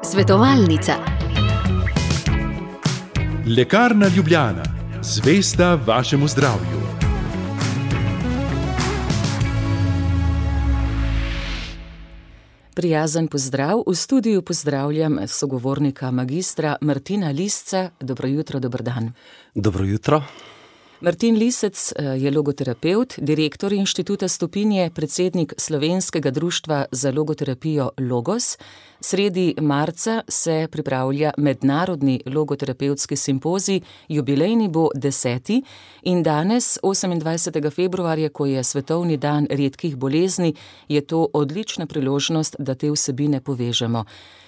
Svetovalnica. Lekarna Ljubljana, zvesta vašemu zdravju. Prijazen pozdrav. V studiu pozdravljam sogovornika magistra Martina Lisca. Dobro jutro, dober dan. Dobro jutro. Martin Lisec je logoterapevt, direktor Inštituta Stopinje, predsednik Slovenskega društva za logoterapijo Logos. Sredi marca se pripravlja mednarodni logoterapevtski simpozij, jubilejni bo 10. in danes, 28. februarja, ko je svetovni dan redkih bolezni, je to odlična priložnost, da te vsebine povežemo.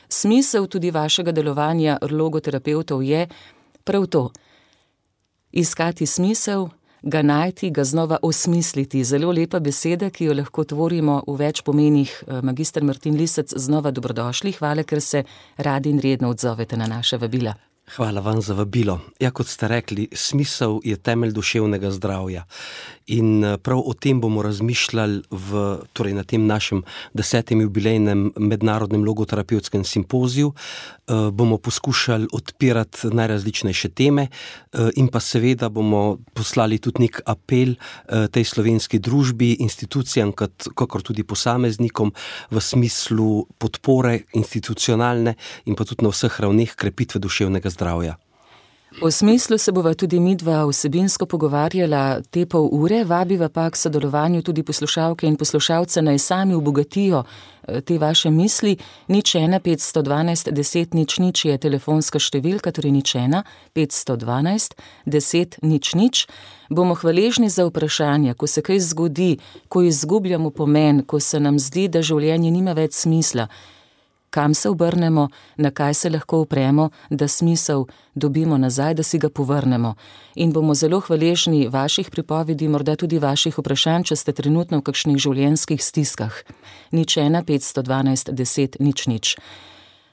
Smisel tudi vašega delovanja logoterapevtov je prav to. Iskati smisel, ga najti, ga znova osmisliti. Zelo lepa beseda, ki jo lahko tvorimo v več pomenih. Magister Martin Lisec, znova dobrodošli. Hvala, ker se radi in redno odzovete na naše vabila. Hvala vam za vabilo. Ja, kot ste rekli, smisel je temelj duševnega zdravja. In prav o tem bomo razmišljali na tem našem 10. jubilejnem mednarodnem logoterapevtskem simpoziju. Bomo poskušali odpirati najrazličnejše teme in pa seveda bomo poslali tudi nek apel tej slovenski družbi, institucijam, kakor tudi posameznikom v smislu podpore institucionalne in pa tudi na vseh ravneh krepitve duševnega zdravja. O smislu se bova tudi midva vsebinsko pogovarjala te pol ure, vabiva pa k sodelovanju tudi poslušalke in poslušalce, naj sami obogatijo te vaše misli. 01 512 10 00 je telefonska številka, torej 01 512 10 00. Bomo hvaležni za vprašanja, ko se kaj zgodi, ko izgubljamo pomen, ko se nam zdi, da življenje nima več smisla. Kam se obrnemo, na kaj se lahko opremo, da smisel dobimo nazaj, da si ga povrnemo. In bomo zelo hvaležni vaših pripovedi, morda tudi vaših vprašanj, če ste trenutno v kakšnih življenjskih stiskah. 01 512 10 00.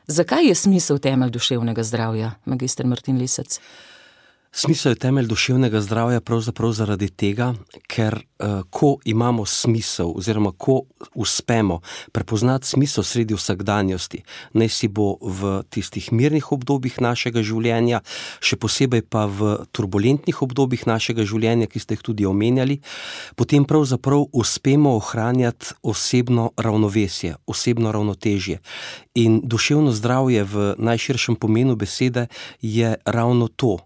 Zakaj je smisel temelj duševnega zdravja, magister Martin Lisec? Smisel je temelj duševnega zdravja pravzaprav zaradi tega, ker ko imamo smisel oziroma ko uspemo prepoznati smisel sredi vsakdanjosti, naj si bo v tistih mirnih obdobjih našega življenja, še posebej pa v turbulentnih obdobjih našega življenja, ki ste jih tudi omenjali, potem pravzaprav uspemo ohranjati osebno ravnovesje, osebno ravnotežje. In duševno zdravje v najširšem pomenu besede je ravno to,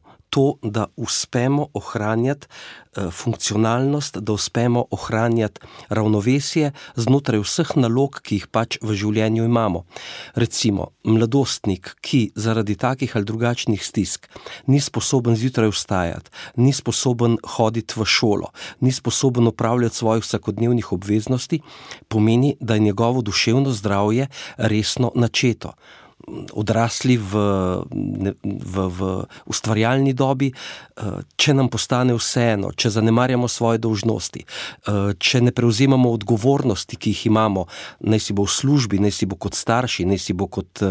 da uspemo ohranjati funkcionalnost, da uspemo ohranjati ravnovesje znotraj vseh nalog, ki jih pač v življenju imamo. Recimo, mladostnik, ki zaradi takih ali drugačnih stisk ni sposoben zjutraj vstajati, ni sposoben hoditi v šolo, ni sposoben opravljati svojih vsakodnevnih obveznosti, pomeni, da je njegovo duševno zdravje resno načeto. Odrasli v ustvarjalni dobi, če nam postane vseeno, če zanemarjamo svoje dolžnosti, če ne prevzemamo odgovornosti, ki jih imamo, naj si bo v službi, naj si bo kot starši, naj si bo kot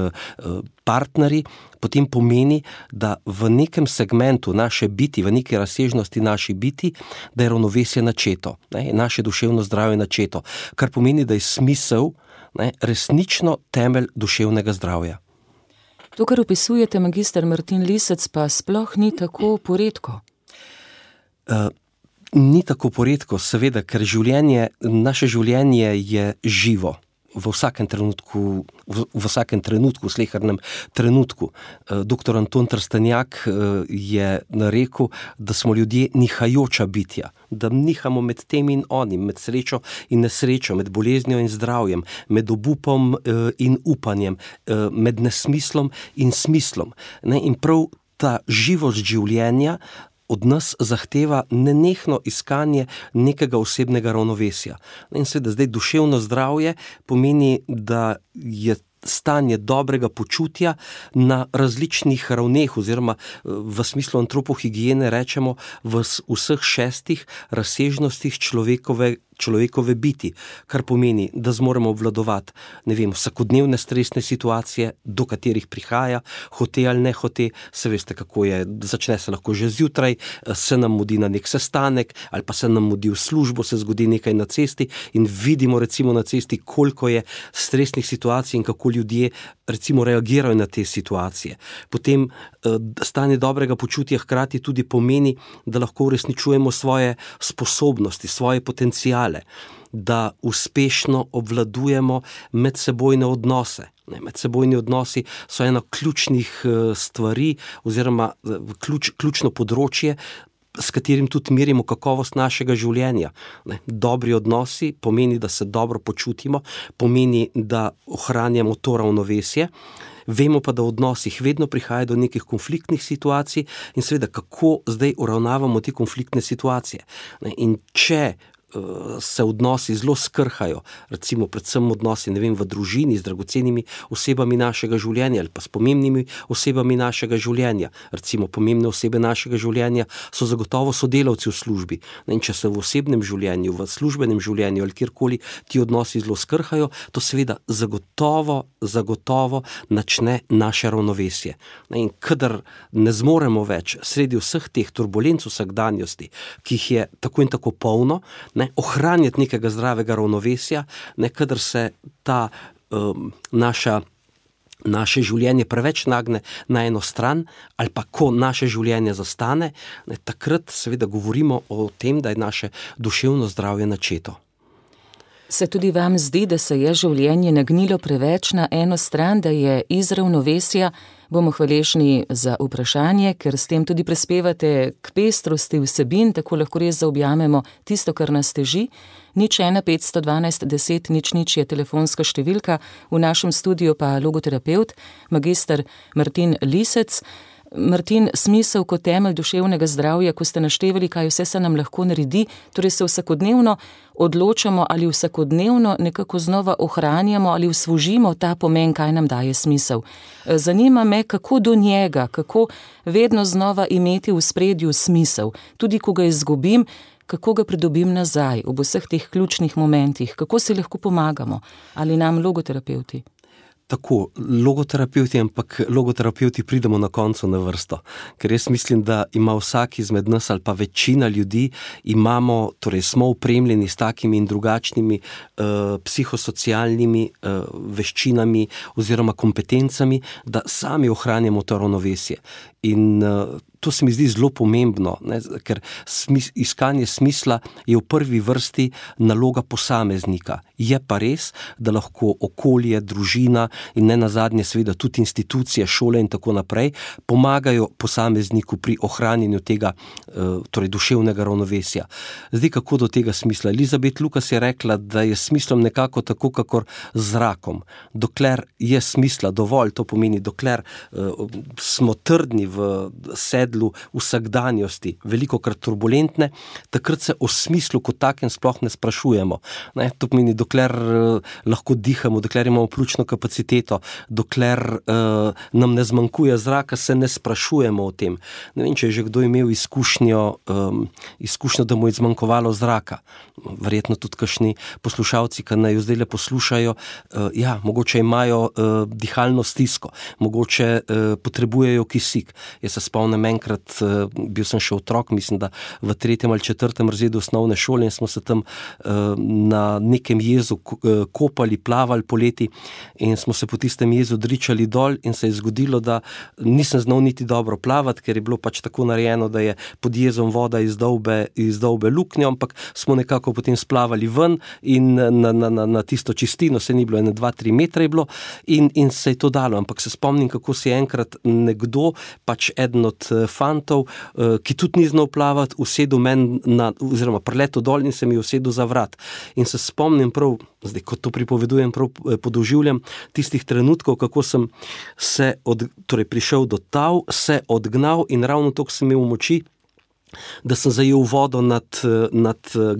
partneri, potem pomeni, da v nekem segmentu naše biti, v neki razsežnosti naši biti, da je ravnovesje načeto, naše duševno zdravje načeto, kar pomeni, da je smisel resnično temelj duševnega zdravja. To, kar opisujete, magister Martin Lisec, pa sploh ni tako poredko. Ni tako poredko, seveda, ker naše življenje je živo. V vsakem trenutku, v slehernem trenutku. Doktor Anton Trstenjak je rekel, da smo ljudje nihajoča bitja, da nihamo med tem in onim, med srečo in nesrečo, med boleznijo in zdravjem, med obupom in upanjem, med nesmislom in smislom. In prav ta živost življenja od nas zahteva nenehno iskanje nekega osebnega ravnovesja. In seveda zdaj duševno zdravje pomeni, da je stanje dobrega počutja na različnih ravneh oziroma v smislu antropohigiene rečemo v vseh 6 razsežnostih človekove biti, kar pomeni, da zmoremo obvladovati, vsakodnevne stresne situacije, do katerih prihaja, hote ali ne hote, se veste, kako je, začne se lahko že zjutraj, se nam mudi na nek sestanek, ali pa se nam mudi v službo, se zgodi nekaj na cesti in vidimo recimo na cesti, koliko je stresnih situacij in kako ljudje recimo reagirajo na te situacije. Potem stanje dobrega počutja hkrati tudi pomeni, da lahko uresničujemo svoje sposobnosti, svoje potenciale, da uspešno obvladujemo medsebojne odnose. Medsebojni odnosi so ena ključnih stvari oziroma ključno področje, s katerim tudi merimo kakovost našega življenja. Dobri odnosi pomeni, da se dobro počutimo, pomeni, da ohranjamo to ravnovesje. Vemo pa, da v odnosih vedno prihaja do nekih konfliktnih situacij in seveda, kako zdaj uravnavamo te konfliktne situacije. In če se odnosi zelo skrhajo, recimo predvsem odnosi, v družini z dragocenimi osebami našega življenja ali pa s pomembnimi osebami našega življenja. Recimo pomembne osebe našega življenja so zagotovo sodelavci v službi. In če se v osebnem življenju, v službenem življenju ali kjerkoli ti odnosi zelo skrhajo, to seveda zagotovo načne naše ravnovesje. In kadar ne zmoremo več sredi vseh teh turbulenc vsakdanjosti, ki jih je tako in tako polno, ohranjati nekega zdravega ravnovesja, kadar se ta naše življenje preveč nagne na eno stran ali pa ko naše življenje zastane, takrat seveda govorimo o tem, da je naše duševno zdravje načeto. Se tudi vam zdi, da se je življenje nagnilo preveč na eno stran, da je iz ravnovesja? Bomo hvaležni za vprašanje, ker s tem tudi prispevate k pestrosti vsebin, tako lahko res zaobjamemo tisto, kar nas teži. 01 512 10 00 je telefonska številka, v našem studiu pa logoterapeut, magister Martin Lisec. Martin, smisel kot temelj duševnega zdravja, ko ste naštevali, kaj vse se nam lahko naredi, torej se vsakodnevno odločamo ali vsakodnevno nekako znova ohranjamo ali usvožimo ta pomen, kaj nam daje smisel. Zanima me, kako do njega, kako vedno znova imeti v spredju smisel, tudi ko ga izgubim, kako ga pridobim nazaj ob vseh teh ključnih momentih, kako si lahko pomagamo, ali nam logoterapeuti? Tako, logoterapeuti pridemo na koncu na vrsto, ker jaz mislim, da ima vsak izmed nas ali pa večina ljudi, smo opremljeni s takimi in drugačnimi psihosocialnimi veščinami oziroma kompetencami, da sami ohranjamo to ravnovesje. In to se mi zdi zelo pomembno, ker iskanje smisla je v prvi vrsti naloga posameznika. Je pa res, da lahko okolje, družina in ne nazadnje seveda tudi institucije, šole in tako naprej pomagajo posamezniku pri ohranjanju tega duševnega ravnovesja. Zdaj, kako do tega smisla? Elizabeth Lucas je rekla, da je smislom nekako tako, kakor z zrakom. Dokler je smisla dovolj, to pomeni, dokler smo trdni v sedlu vsakdanjosti, velikokrat turbulentne, takrat se o smislu kot takem sploh ne sprašujemo. To pomeni, dokler lahko dihamo, dokler imamo pljučno kapaciteto, dokler nam ne zmanjkuje zraka, se ne sprašujemo o tem. Ne vem, če je že kdo imel izkušnjo, da mu je zmanjkovalo zraka. Verjetno tudi kakšni poslušalci, ki naj jo zdaj poslušajo, mogoče imajo dihalno stisko, mogoče potrebujejo kisik. Jaz se spomnim enkrat, bil sem še otrok, mislim, da v 3. ali 4. razredu osnovne šole in smo se tam na nekem jezu kopali, plavali poleti in smo se po tistem jezu dričali dol in se je zgodilo, da nisem znal niti dobro plavati, ker je bilo pač tako narejeno, da je pod jezom voda iz dolbe luknjo, ampak smo nekako potem splavali ven in na tisto čistino, se ni bilo, 2-3 metre je bilo in se je to dalo, ampak se spomnim, kako si enkrat nekdo, pač eden od fantov, ki tudi ni znal plavati, usedel meni oziroma priletel dol in se mi usedel za vrat. In se spomnim prav, zdaj, ko to pripovedujem, prav podoživljam tistih trenutkov, kako sem se prišel do tal, se odgnal in ravno toliko sem imel moči, da sem zajel vodo nad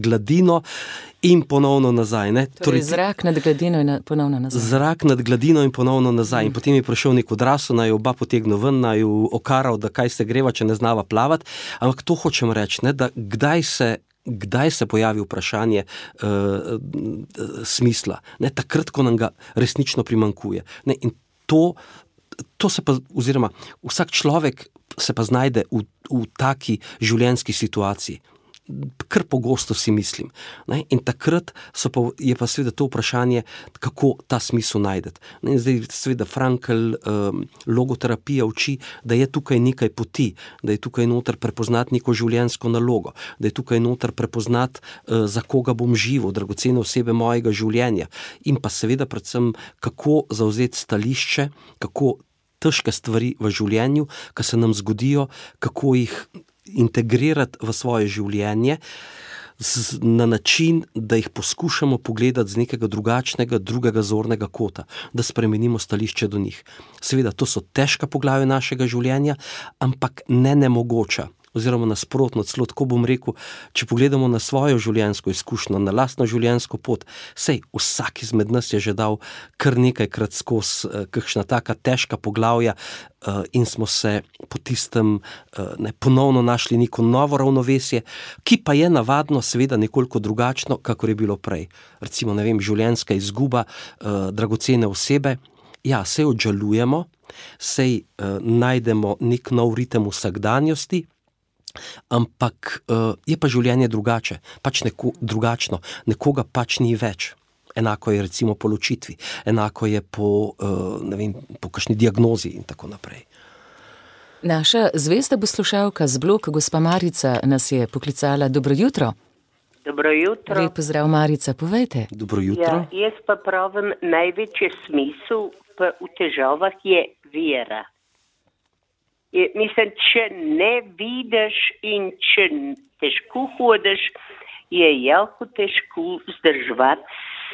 gladino in ponovno nazaj. Torej zrak nad gladino in ponovno nazaj. Zrak nad gladino in ponovno nazaj. In potem je prišel nek odrasel, naj oba potegnil ven, naj okaral, da kaj se greva, če ne znava plavati. Ampak to hočem reči, da kdaj se kdaj se pojavi vprašanje smisla? Ne, takrat, ko nam ga resnično primanjkuje. Ne, in to se pa, oziroma vsak človek se pa znajde v taki življenjski situaciji. Kar pogosto si mislim. Ne? In takrat je pa seveda to vprašanje, kako ta smisel najdeti. In zdaj seveda Frankl logoterapija uči, da je tukaj nekaj poti, da je tukaj noter prepoznati neko življenjsko nalogo, da je tukaj noter prepoznati, za koga bom živel, dragocene osebe mojega življenja. In pa seveda predvsem, kako zavzeti stališče, kako težke stvari v življenju, ki se nam zgodijo, kako jih integrirati v svoje življenje na način, da jih poskušamo pogledati z nekega drugačnega, drugega zornega kota, da spremenimo stališče do njih. Seveda, to so težka poglavja našega življenja, ampak ne nemogoča. Oziroma nasprotno, celo tako bom rekel, če pogledamo na svojo življenjsko izkušnjo, na lastno življenjsko pot, sej vsak izmed nas je že dal kar nekajkrat skozi kakšna taka težka poglavja in smo se po tistem ponovno našli neko novo ravnovesje, ki pa je navadno seveda nekoliko drugačno, kakor je bilo prej. Recimo, ne vem, življenjska izguba dragocene osebe, ja, sej odžalujemo, sej najdemo nek nov ritem vsakdanjosti, ampak je pa življenje drugače, pač drugačno, nekoga pač ni več. Enako je recimo po ločitvi, enako je po kakšni diagnozi in tako naprej. Naša zvesta poslušalka z bloka, gospa Marica, nas je poklicala. Dobro jutro. Dobro jutro. Lep pozdrav, Marica, povejte. Dobro jutro. Ja, jaz pa pravim, največji smisel v težavah je vera. Mislim, če ne vidiš in če težko hodiš, je jako težko vzdrževati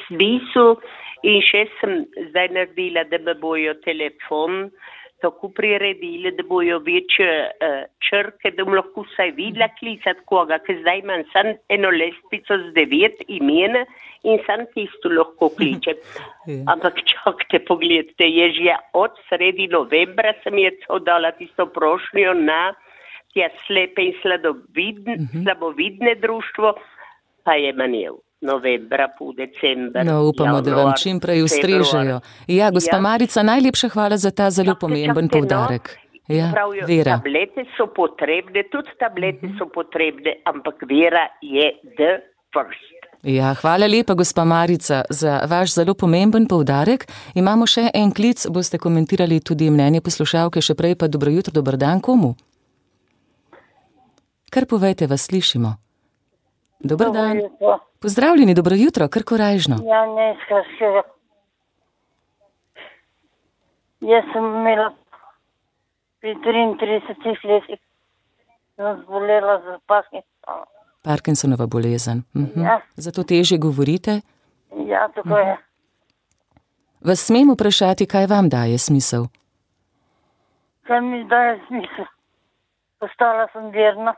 smisel. In še sem zdaj naredila, da me bojo telefon tako priredili, da bojo večje črke, da bom lahko vsaj videla klicati koga, ker zdaj imam samo eno lestvico z 9 imen in samo tisto lahko kličem. Ampak čakajte, pogledajte, je že od sredi novembra sem je dala tisto prošnjo na tja slepe in slabovidne društvo, pa je manjel. Novembra, po december. No, upamo, da vam čim prej ustrežejo. Ja, gospa Marica, najlepša hvala za ta zelo pomemben poudarek. Ja, pravijo, vera. Tablete so potrebne, tudi tablete so potrebne, ampak vera je the first. Ja, hvala lepa, gospa Marica, za vaš zelo pomemben poudarek. Imamo še en klic, boste komentirali tudi mnenje poslušalke, še prej pa dobro jutro, dober dan, komu? Kar povejte, vas slišimo. Dobar dan. Pozdravljeni, dobro jutro, kar korajžno. Ja, ne, skraševa. Jaz sem imela pri 33 letih, sem zbolela za Parkinsonom. Parkinsonova bolezen. Ja. Zato težje govorite? Ja, tako je. Vas smem vprašati, kaj vam daje smisel? Kaj mi daje smisel? Postala sem verna.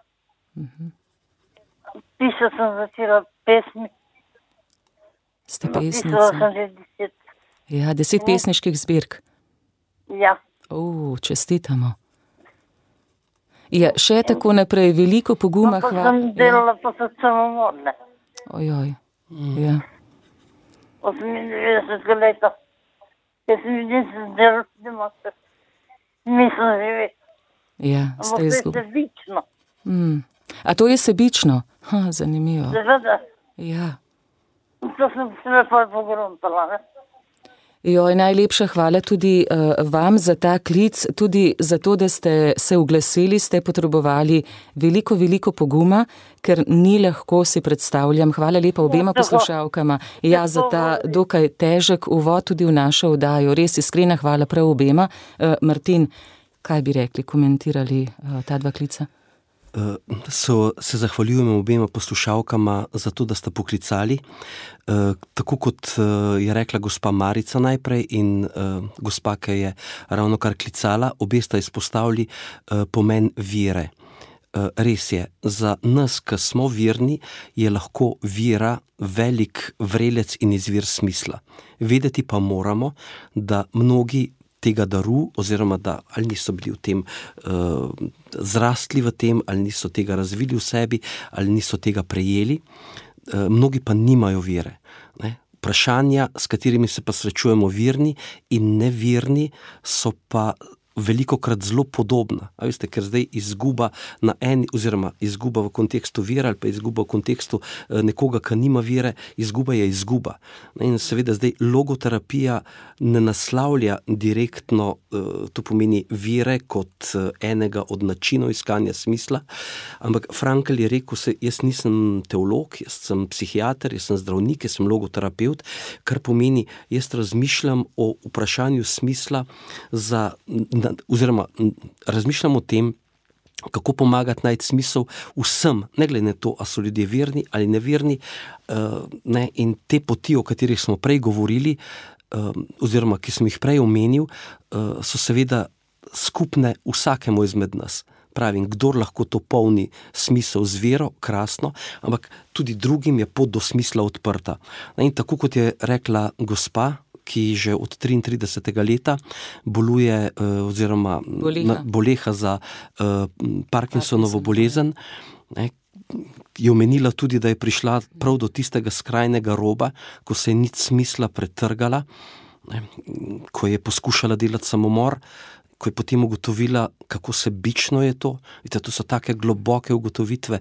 Pisala sem začela pesmi. Ste Pisala pesnica? sem že 10. Ja, 10 pesniških zbirk. Ja. Čestitamo. Ja, še tako naprej, veliko poguma. Pa sem delala pa so samomorne. Ojoj, ja. 98 leta. Jaz mi nisem delala, da imate. Nisem živela. Ja, Ampak ste to je izgubili. sebično. A to je sebično? Zanimivo. Seveda. Ja. To sem se pa pogruntala, ne? Joj, najlepša hvala tudi vam za ta klic, tudi za to, da ste se oglasili, ste potrebovali veliko poguma, ker ni lahko, si predstavljam. Hvala lepa obema poslušalkama. Ja, za ta dokaj težek uvod tudi v našo oddajo. Res iskrena hvala prav obema. Martin, kaj bi rekli, komentirali ta dva klica? Se zahvaljujemo obema poslušalkama za to, da sta poklicali. Tako kot je rekla gospa Marica najprej in gospa, ki je ravno kar klicala, obe sta izpostavili pomen vere. Res je, za nas, ki smo verni, je lahko vera velik vrelec in izvir smisla. Vedeti pa moramo, da mnogi tega daru, oziroma da ali niso bili v tem zrastli v tem, ali niso tega razvili v sebi, ali niso tega prejeli. Mnogi pa nimajo vere. Ne? Vprašanja, s katerimi se pa srečujemo verni in neverni, so pa velikokrat zelo podobna. A veste, ker zdaj izguba na eni, oziroma izguba v kontekstu vere ali pa izguba v kontekstu nekoga, ki nima vere, izguba je izguba. In seveda zdaj logoterapija ne naslavlja direktno, to pomeni vere kot enega od načinov iskanja smisla, ampak Frankl je rekel, jaz nisem teolog, jaz sem psihiater, jaz sem zdravnik, jaz sem logoterapeut, kar pomeni, jaz razmišljam o vprašanju smisla oziroma razmišljam o tem, kako pomagati najti smisel vsem, ne glede na to, a so ljudje verni ali neverni, in te poti, o katerih smo prej govorili, oziroma ki sem jih prej omenil, so seveda skupne vsakemu izmed nas. Pravim, kdor lahko to polni smisel z vero, krasno, ampak tudi drugim je pot do smisla odprta. In tako kot je rekla gospa, ki že od 33. leta boluje oziroma boleha za Parkinsonovo bolezen, je omenila tudi, da je prišla prav do tistega skrajnega roba, ko se je nič smisla pretrgala, ko je poskušala delati samomor, ko je potem ugotovila, kako sebično je to. Vidite, to so take globoke ugotovitve.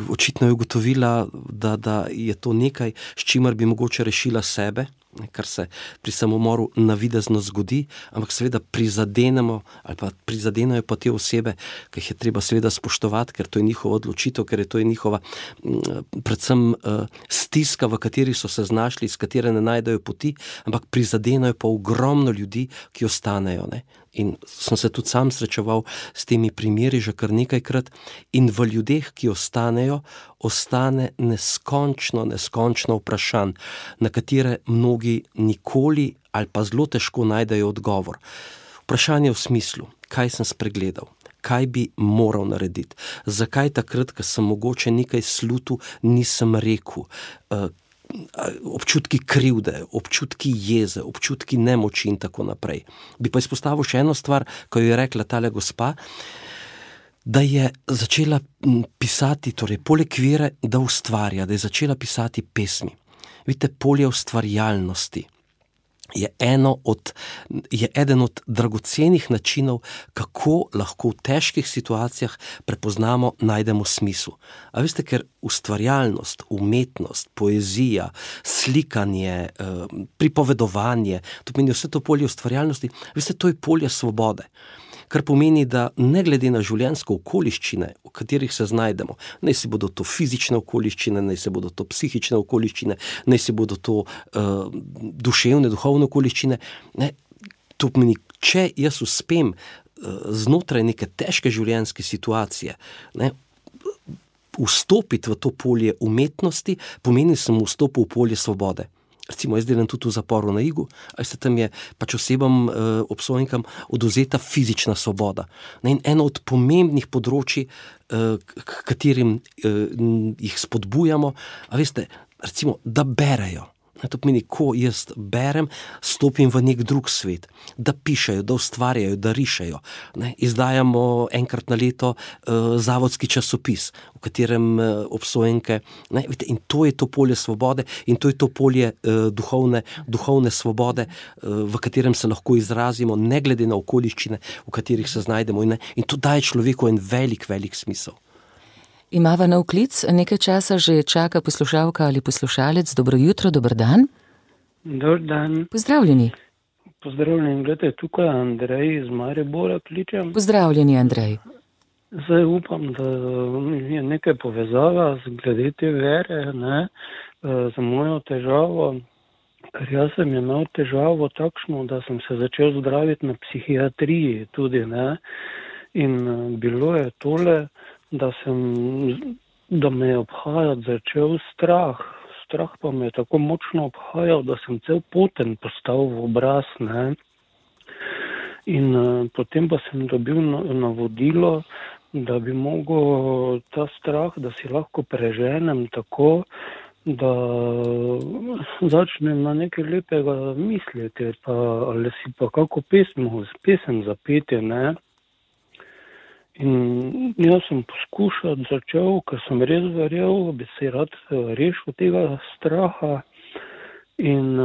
Očitno je ugotovila, da je to nekaj, s čimer bi mogoče rešila sebe, kar se pri samomoru navidezno zgodi, ampak seveda prizadenajo pa te osebe, ki jih je treba seveda spoštovati, ker to je njihova odločitev, ker je to njihova predvsem stiska, v kateri so se znašli, iz katere ne najdejo poti, ampak prizadenajo pa ogromno ljudi, ki ostanejo. In sem se tudi sam srečeval s temi primeri že kar nekajkrat in v ljudeh, ki ostanejo, ostane neskončno vprašanj, na katere mnogi nikoli ali pa zelo težko najdejo odgovor. Vprašanje v smislu, kaj sem spregledal, kaj bi moral narediti, zakaj takrat, ko sem mogoče nekaj slutil, nisem rekel, občutki krivde, občutki jeze, občutki nemoči in tako naprej. Bi pa izpostavil še eno stvar, ko je rekla tale gospa, da je začela pisati, torej poleg vere, da ustvarja, da je začela pisati pesmi. Vidite, polje ustvarjalnosti je eden od dragocenih načinov, kako lahko v težkih situacijah prepoznamo, najdemo smisel. A veste, ker ustvarjalnost, umetnost, poezija, slikanje, pripovedovanje, to pomeni vse to polje ustvarjalnosti, veste, to je polje svobode. Kar pomeni, da ne glede na življenjske okoliščine, v katerih se znajdemo, naj si bodo to fizične okoliščine, naj se bodo to psihične okoliščine, naj si bodo to duševne, duhovne okoliščine, to pomeni, če jaz uspem znotraj neke težke življenjske situacije, vstopiti v to polje umetnosti, pomeni, da sem vstopil v polje svobode. Recimo, jaz delam tudi v zaporu na Igu, a se tam je pač osebam, obsojenkam odvzeta fizična svoboda. In eno od pomembnih področij, katerim jih spodbujamo, a veste, recimo, da berejo. To pomeni, ko jaz berem, stopim v nek drug svet, da pišejo, da ustvarjajo, da rišejo. Izdajamo enkrat na leto zavodski časopis, v katerem obsojenke, in to je to polje svobode in to je to polje duhovne svobode, v katerem se lahko izrazimo, ne glede na okoliščine, v katerih se znajdemo. In to daje človeku en velik smisel. Imava nov klic, nekaj časa že čaka poslušalka ali poslušalec. Dobro jutro, dober dan. Dober dan. Pozdravljeni. Pozdravljeni, gledajte, tukaj Andrej iz Maribora kličem. Pozdravljeni, Andrej. Zdaj upam, da je nekaj povezava glede te vere, za mojo težavo, ker jaz sem imel težavo takšno, da sem se začel zdraviti na psihiatriji tudi, in bilo je tole, da me je obhajati začel strah. Strah pa me je tako močno obhajal, da sem cel poten postal v obraz, In potem pa sem dobil navodilo, da bi mogel ta strah, da si lahko preženem tako, da začnem na nekaj lepega misliti, pa, ali si pa kako pesem zapeti, ne. In jaz sem začel, ker sem res verjel, bi se rad rešil tega straha. In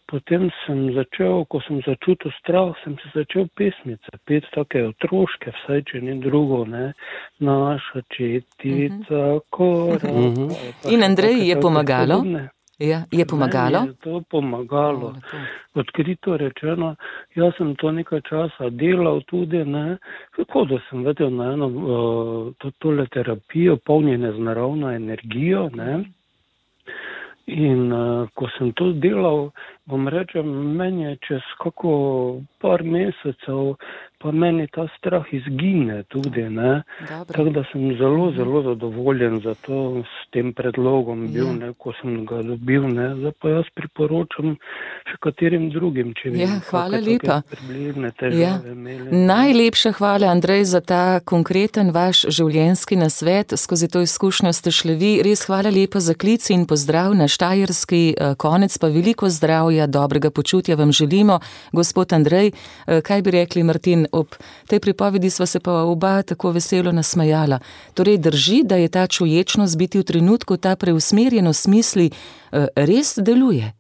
potem sem začel, ko sem začutil strah, sem se začel pesmice peti, take otroške, vsaj če ni drugo, ne. Naša četica koraka. In Andrej, je pomagalo? Ja, je pomagalo? Meni je to pomagalo. Odkrito rečeno, jaz sem to nekaj časa delal tudi, ne, tako da sem vedel na eno tole terapijo, polnjene z naravno energijo, ne. In ko sem to delal, bom rečem, meni je čez kako par mesecev, pa meni ta strah izgine tudi, ne. Tako da sem zelo, zelo zadovoljen za to, s tem predlogom bil, ne, ko sem ga dobil, ne. Zdaj pa jaz priporočam še katerim drugim, če bi hvala lepa. Približne težave imeli. Najlepša hvala, Andrej, za ta konkreten vaš življenjski nasvet. Skozi to izkušnjo ste šli vi. Res hvala lepa za klic in pozdrav na Štajerski konec, pa veliko zdravja, dobrega počutja vam želimo. Gospod Andrej, kaj bi rekli, Martin? Ob tej pripovedi sva se pa oba tako veselo nasmejala. Torej drži, da je ta čuječnost biti v trenutku, ta preusmerjenost misli res deluje?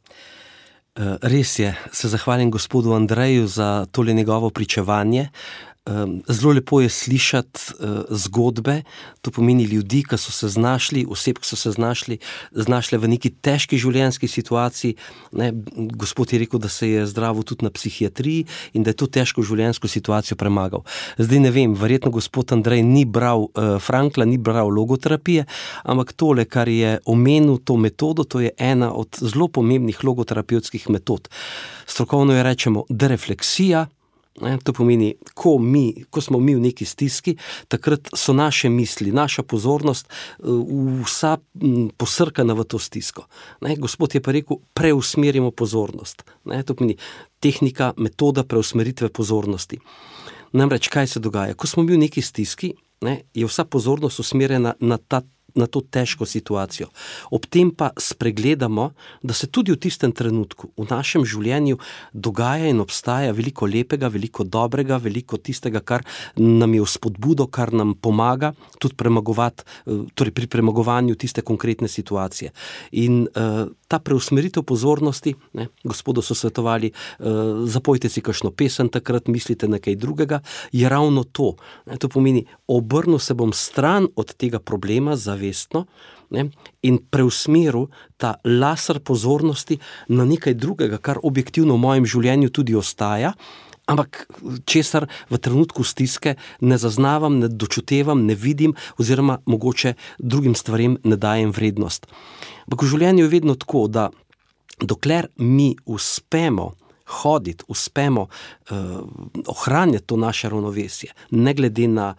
Res je. Se zahvalim gospodu Andreju za tole njegovo pričevanje. Zelo lepo je slišati zgodbe, to pomeni ljudi, ki so se znašli, oseb, ki so se znašle v neki težki življenjski situaciji. Ne, gospod je rekel, da se je zdravil tudi na psihiatriji in da je to težko življenjsko situacijo premagal. Zdaj ne vem, verjetno gospod Andrej ni bral Frankla, ni bral logoterapije, ampak tole, kar je omenil, to metodo, to je ena od zelo pomembnih logoterapevtskih metod. Strokovno je rečemo derefleksija. To pomeni, ko smo mi v neki stiski, takrat so naše misli, naša pozornost vsa posrkana v to stisko. Gospod je pa rekel, preusmerimo pozornost. To pomeni tehnika, metoda preusmeritve pozornosti. Namreč, kaj se dogaja? Ko smo mi v neki stiski, je vsa pozornost usmerjena na to težko situacijo. Ob tem pa spregledamo, da se tudi v tistem trenutku v našem življenju dogaja in obstaja veliko lepega, veliko dobrega, veliko tistega, kar nam je v spodbudo, kar nam pomaga tudi premagovati, torej pri premagovanju tiste konkretne situacije. In ta preusmeritev pozornosti, gospodu so svetovali, zapojte si kakšno pesem, takrat mislite na kaj drugega, je ravno to. To pomeni, obrnil se bom stran od tega problema zavestno in preusmeril ta laser pozornosti na nekaj drugega, kar objektivno v mojem življenju tudi ostaja, ampak česar v trenutku stiske ne zaznavam, ne dočutevam, ne vidim oziroma mogoče drugim stvarem ne dajem vrednost. Ampak v življenju je vedno tako, da dokler mi uspemo hoditi, uspemo ohranjati to naše ravnovesje, ne glede na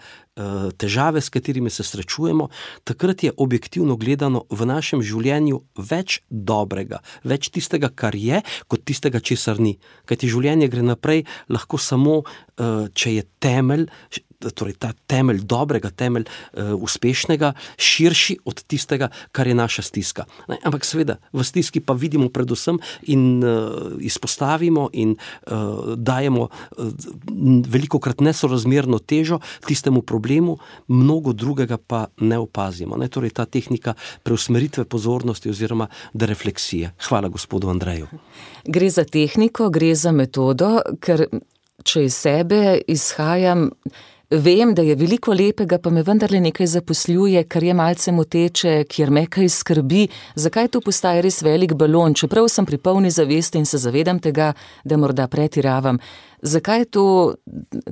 težave, s katerimi se srečujemo, takrat je objektivno gledano v našem življenju več dobrega, več tistega, kar je, kot tistega, česar ni. Kajti življenje gre naprej lahko samo, če je temelj, torej ta temelj dobrega, temelj uspešnega, širši od tistega, kar je naša stiska. Ampak seveda, v stiski pa vidimo predvsem in izpostavimo in dajemo velikokrat nesorazmerno težo tistemu problemu, mnogo drugega pa ne opazimo. Torej ta tehnika preusmeritve pozornosti oziroma derefleksije. Hvala gospodu Andreju. Gre za tehniko, gre za metodo, ker če iz sebe izhajam, vem, da je veliko lepega, pa me vendarle nekaj zaposljuje, kar je malce moteče, kjer me kaj skrbi. Zakaj to postaje res velik balon? Čeprav sem pri polni zavesti in se zavedam tega, da morda pretiravam. Zakaj to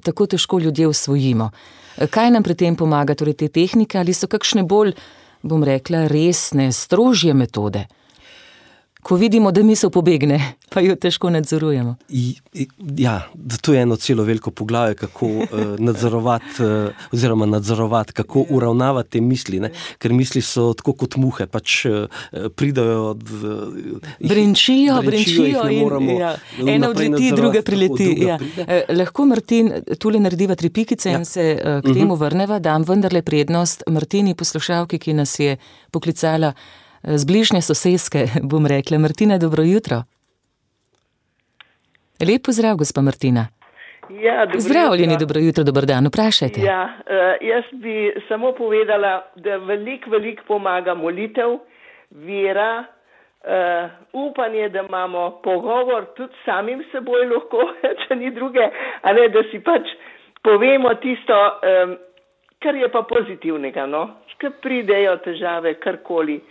tako težko ljudje usvojimo? Kaj nam pri tem pomaga, torej te tehnike, ali so kakšne bolj, bom rekla, resne, strožje metode? Ko vidimo, da misel pobegne, pa jo težko nadzorujemo. Ja, to je eno celo veliko poglavje, kako nadzorovati, kako uravnavati te misli, ker misli so tako kot muhe, pač pridajo brenčijo in ena odleti, druga prileti. Lahko, Martin, tule narediva 3 pikice in se k temu vrneva, dam vendarle prednost Martini, poslušalki, ki nas je poklicala z bližnje soseske, bom rekla. Martina, dobro jutro. Lep pozdrav, gospa Martina. Ja, Zdravljeni, dobro jutro, dober dan, vprašajte. Ja, jaz bi samo povedala, da veliko pomaga molitev, vera, upanje, da imamo pogovor tudi samim seboj lahko, če ni druge, a ne, da si pač povemo tisto, kar je pa pozitivnega, no, ker pridejo težave, karkoli.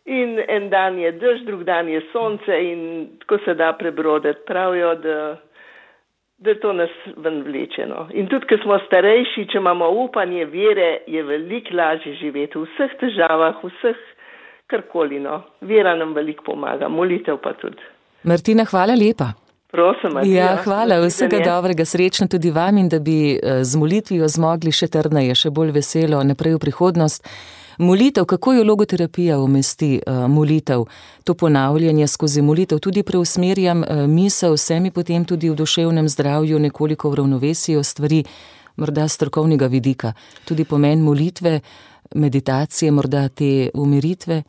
In en dan je dež, drug dan je sonce in tako se da prebroditi. Pravijo, da to nas ven vleče, no. In tudi, ker smo starejši, če imamo upanje, vere, je veliko lažje živeti v vseh težavah, vseh karkoli, no. Vera nam veliko pomaga, molitev pa tudi. Martina, hvala lepa. Prosim, Martina. Ja, hvala, vsega dobrega, srečno tudi vam in da bi z molitvijo zmogli še trdneje, še bolj veselo naprej v prihodnost. Molitev, kako jo logoterapija umesti molitev, to ponavljanje skozi molitev, tudi preusmerjam misel, se mi potem tudi v duševnem zdravju nekoliko v ravnovesijo stvari, morda strokovnega vidika, tudi pomen molitve, meditacije, morda te umiritve.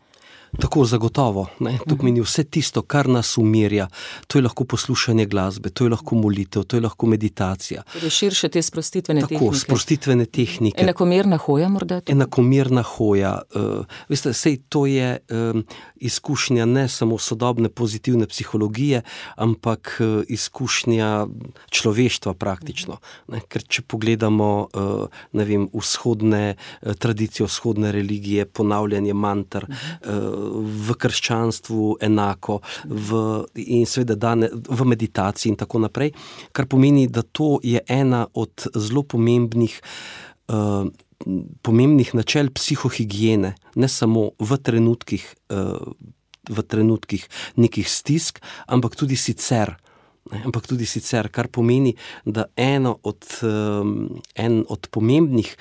Tako zagotovo, ne? To pomeni vse tisto, kar nas umirja. To je lahko poslušanje glasbe, to je lahko molitev, to je lahko meditacija. Torej širše te sprostitvene tehnike. Tako, sprostitvene tehnike. Enakomerna hoja morda? Enakomerna hoja. Veste, sej to je izkušnja ne samo sodobne pozitivne psihologije, ampak izkušnja človeštva praktično. Ne? Ker če pogledamo, ne vem, vzhodne tradicije, vzhodne religije, ponavljanje manter, v krščanstvu enako, in seveda v meditaciji in tako naprej, kar pomeni, da to je ena od zelo pomembnih načel psihohigiene, ne samo v trenutkih nekih stisk, ampak tudi sicer. Kar pomeni, da en od pomembnih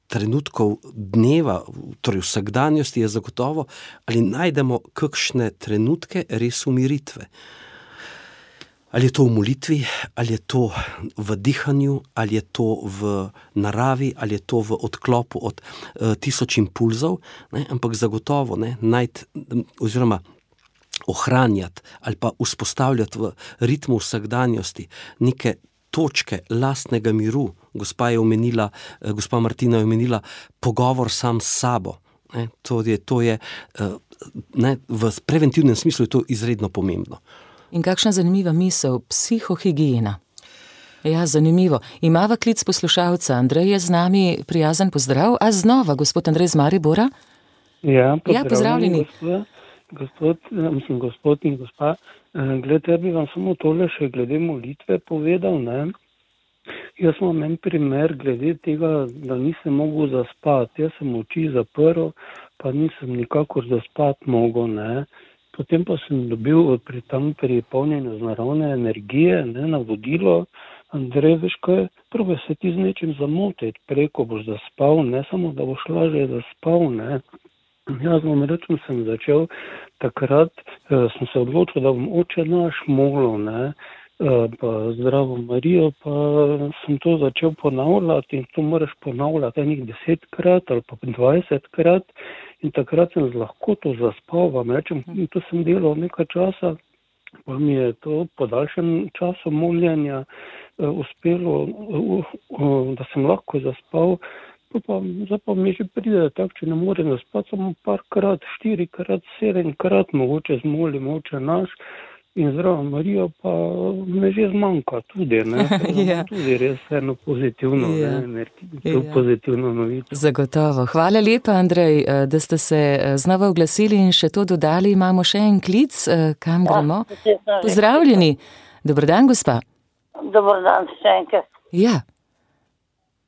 trenutkov dneva, torej vsakdanjosti je zagotovo, ali najdemo kakšne trenutke res umiritve. Ali je to v molitvi, ali je to v dihanju, ali je to v naravi, ali je to v odklopu od tisoč impulzov, ne? Ampak zagotovo najti oziroma ohranjati ali pa vzpostavljati v ritmu vsakdanjosti neke točke lastnega miru. Gospa Martina je omenila pogovor sam s sabo. To je v preventivnem smislu je to izredno pomembno. In kakšna zanimiva misel, psihohigiena. Ja, zanimivo. Imava klic poslušalca. Andrej je z nami, prijazen pozdrav. A znova, gospod Andrej z Maribora? Ja, pozdravljeni. Gospod in gospa. Glede, ja bi vam samo tole še glede molitve povedal, ne. Jaz imam en primer glede tega, da nisem mogel zaspati. Jaz sem oči zaprl, pa nisem nikakor zaspati mogel, ne. Potem pa sem dobil pri polnjenju z naravne energije, ne, navodilo, Andrej, veš kaj, probaj se ti z nečim zamotiti, preko boš zaspal, ne samo, da boš lažje zaspal, ne. Jaz vam rečem, sem začel takrat, sem se odločil, da bom Oče naš molil, ne, pa Zdravo Marijo, pa sem to začel ponavljati in to moraš ponavljati enih 10-krat ali pa 20-krat in takrat sem z lahkoto zaspal, vam rečem, to sem delal nekaj časa, pa mi je to po daljšem času moljenja uspelo, da sem lahko zaspal. Zdaj pa mi že pride tako, če ne morem zaspati, samo parkrat, 4-krat, 7-krat, mogoče zmolim Oče naš in Zdravo Marijo, pa me že zmanjka tudi, ne. Ja. Tudi res eno pozitivno, pozitivno novico. Zagotovo. Hvala lepa, Andrej, da ste se znova oglasili in še to dodali. Imamo še en klic, kam gremo? Pozdravljeni. Dober dan, gospa. Dober dan, še enkrat. Ja.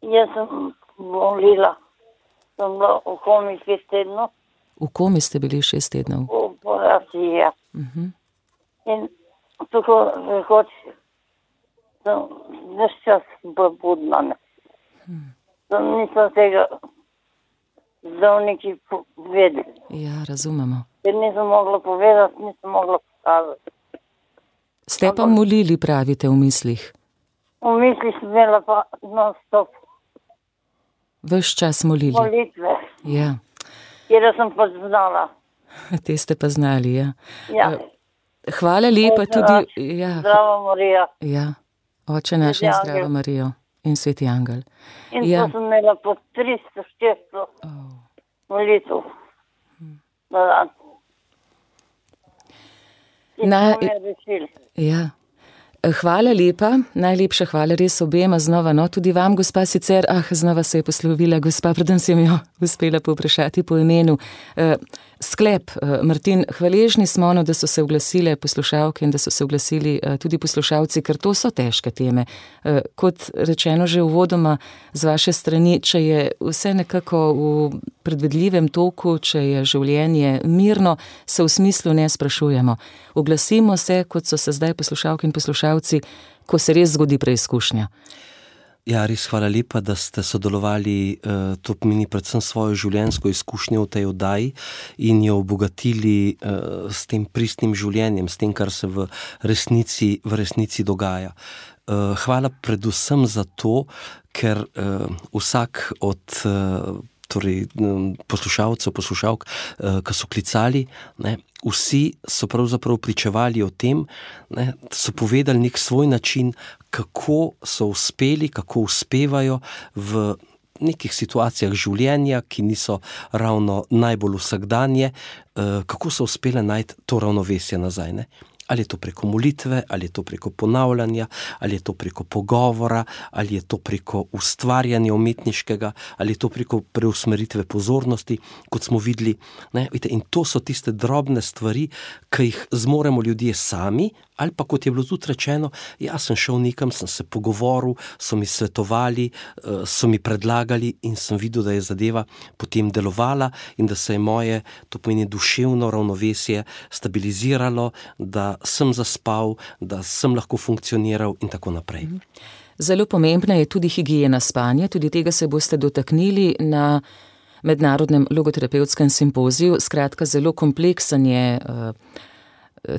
Jaz sem molila. Sem bila v komi 6 tednov. V komi ste bili 6 tednov? V operaciji, ja. In tako rekoč sem ves čas budna. Nisem tega zdravniki vedeli. Ja, razumemo. Ker nisem mogla povedati, nisem mogla pokazati. Ste pa molili, pravite, v mislih? V mislih sem imela pa non-stop. Ves čas molili? Molitve. Ja. Kjer sem pa znala. Te ste pa znali, ja. Ja. Hvala lepa Oče tudi. naš, Ja, Zdravo, Marija. ja. Oče naš Sveti in angel. zdravo Marijo in sveti angel. In Ja. to sem imela po 300-400 molitev na dan. In Na- smo me rešili. Ja. Hvala lepa, najlepša hvala res obema znova, no tudi vam, gospa, sicer, znova se je poslovila gospa, preden sem jo uspela povprašati po imenu. Sklep, Martin, hvaležni smo, no, da so se oglasile poslušalke in da so se oglasili tudi poslušalci, ker to so težke teme. Kot rečeno že uvodoma z vaše strani, če je vse nekako v predvidljivem toku, če je življenje mirno, se v smislu ne sprašujemo. Oglasimo se, kot so se zdaj poslušalke in poslušalci, ko se res zgodi preizkušnja. Ja, res hvala lepa, da ste sodelovali, to pomeni predvsem svojo življenjsko izkušnjo v tej oddaji in jo obogatili s tem pristnim življenjem, s tem, kar se v resnici dogaja. Hvala predvsem za to, ker vsak od poslušalk, ki so klicali, ne, vsi so pravzaprav pričevali o tem, ne, so povedali nek svoj način, kako so uspeli, kako uspevajo v nekih situacijah življenja, ki niso ravno najbolj vsakdanje, kako so uspeli najti to ravnovesje nazaj, ne. Ali je to preko molitve, ali je to preko ponavljanja, ali je to preko pogovora, ali je to preko ustvarjanja umetniškega, ali je to preko preusmeritve pozornosti, kot smo videli. Ne? In to so tiste drobne stvari, ki jih zmoremo ljudje sami, ali pa kot je bilo tudi rečeno, jaz sem šel nekam, sem se pogovoril, so mi svetovali, so mi predlagali in sem videl, da je zadeva potem delovala in da se je moje, to pomeni duševno ravnovesje, stabiliziralo, da sem zaspal, da sem lahko funkcioniral in tako naprej. Zelo pomembna je tudi higiena spanja, tudi tega se boste dotaknili na mednarodnem logoterapevtskem simpoziju. Skratka, zelo kompleksen je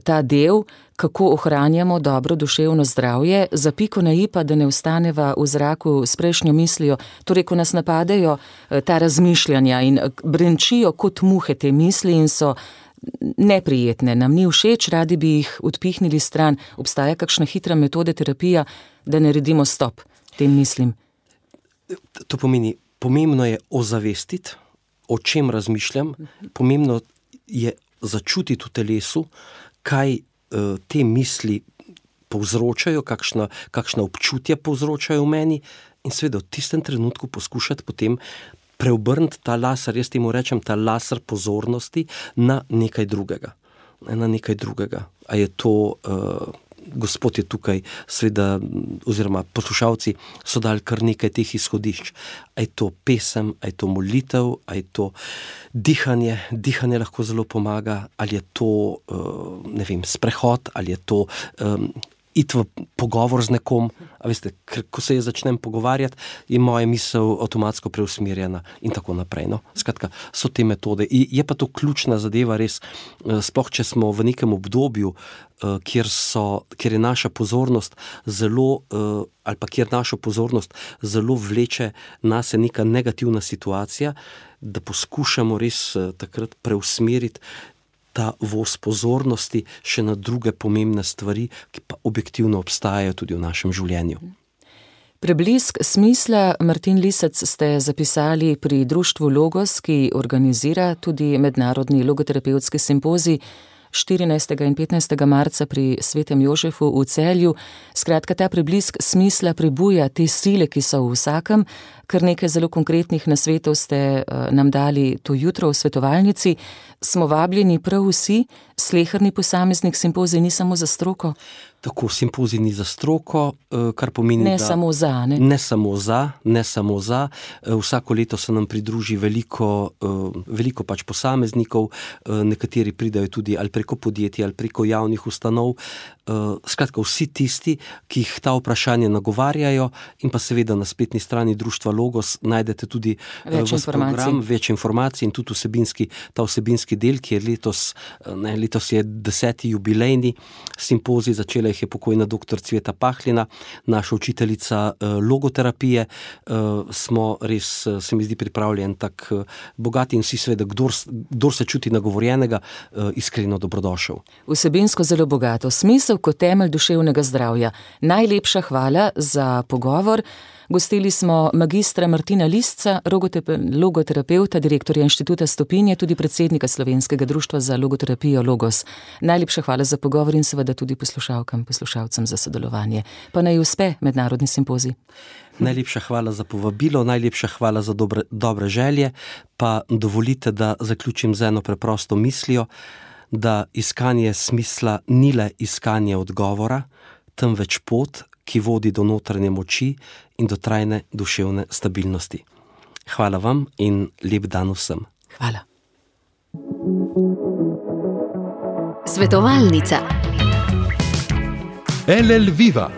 ta del, kako ohranjamo dobro duševno zdravje, za piko na i pa, da ne ostaneva v zraku s prejšnjo mislijo, torej, ko nas napadejo ta razmišljanja in brenčijo kot muhe te misli in so neprijetne, nam ni všeč, radi bi jih odpihnili stran. Obstaja kakšna hitra metoda terapija, da naredimo stop tem mislim? To pomeni, pomembno je ozavestiti, o čem razmišljam, pomembno je začutiti v telesu, kaj te misli povzročajo, kakšna občutja povzročajo v meni in seveda v tistem trenutku poskušati potem preobrniti ta laser, jaz temu rečem ta laser pozornosti na nekaj drugega. A je to, Gospod je tukaj, seveda, oziroma poslušalci so dali kar nekaj teh izhodišč. A je to pesem, a je to molitev, a je to dihanje lahko zelo pomaga, ali je to, sprehod, ali je to iti v pogovor z nekom, a veste, ker ko se začnem pogovarjati, je moja misel avtomatsko preusmerjena in tako naprej. No? Skratka, so te metode. Je pa to ključna zadeva res, sploh če smo v nekem obdobju, kjer je naša pozornost zelo, ali pa kjer našo pozornost zelo vleče nase neka negativna situacija, da poskušamo res takrat preusmeriti ta voz pozornosti še na druge pomembne stvari, ki pa objektivno obstajajo tudi v našem življenju. Preblisk smisla, Martin Lisec, ste zapisali pri društvu Logos, ki organizira tudi mednarodni logoterapevtski simpozij 14. in 15. marca pri Svetem Jožefu v Celju. Skratka, ta preblisk smisla prebuja te sile, ki so v vsakem. Kar nekaj zelo konkretnih nasvetov ste nam dali to jutro v svetovalnici. Smo vabljeni prav vsi, sleherni posameznik, simpozij ni samo za stroko? Tako, simpozij ni za stroko, kar pomeni, ne samo za, ne? Ne samo za. Vsako leto se nam pridruži veliko pač posameznikov, nekateri pridajo tudi ali preko podjetij, ali preko javnih ustanov. Skratka, vsi tisti, ki jih ta vprašanja nagovarjajo, in pa seveda na spletni strani društva Logos najdete tudi več informacij in tudi ta vsebinski del, ki je letos je 10. jubilejni simpozij, začela jih je pokojna dr. Cveta Pahlina, naša učiteljica logoterapije. Smo res, se mi zdi, pripravljen tak bogat in vsi seveda, kdor se čuti nagovorjenega, iskreno dobrodošel. Vsebinsko zelo bogato, smisel kot temelj duševnega zdravja. Najlepša hvala za pogovor. Gostili smo magistra Martina Lisca, logoterapeuta, direktorja Inštituta Stopinje, tudi predsednika Slovenskega društva za logoterapijo Logos. Najlepša hvala za pogovor in seveda tudi poslušalcem za sodelovanje. Pa naj uspe mednarodni simpozij. Najlepša hvala za povabilo, najlepša hvala za dobre želje, pa dovolite, da zaključim z eno preprosto mislijo, da iskanje smisla ni le iskanje odgovora, temveč pot, ki vodi do notranje moči in do trajne duševne stabilnosti. Hvala vam in lep dan vsem. Hvala. Svetovalnica. LL Viva,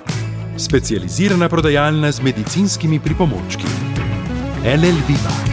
specializirana prodajalna z medicinskimi pripomočki. LL Viva.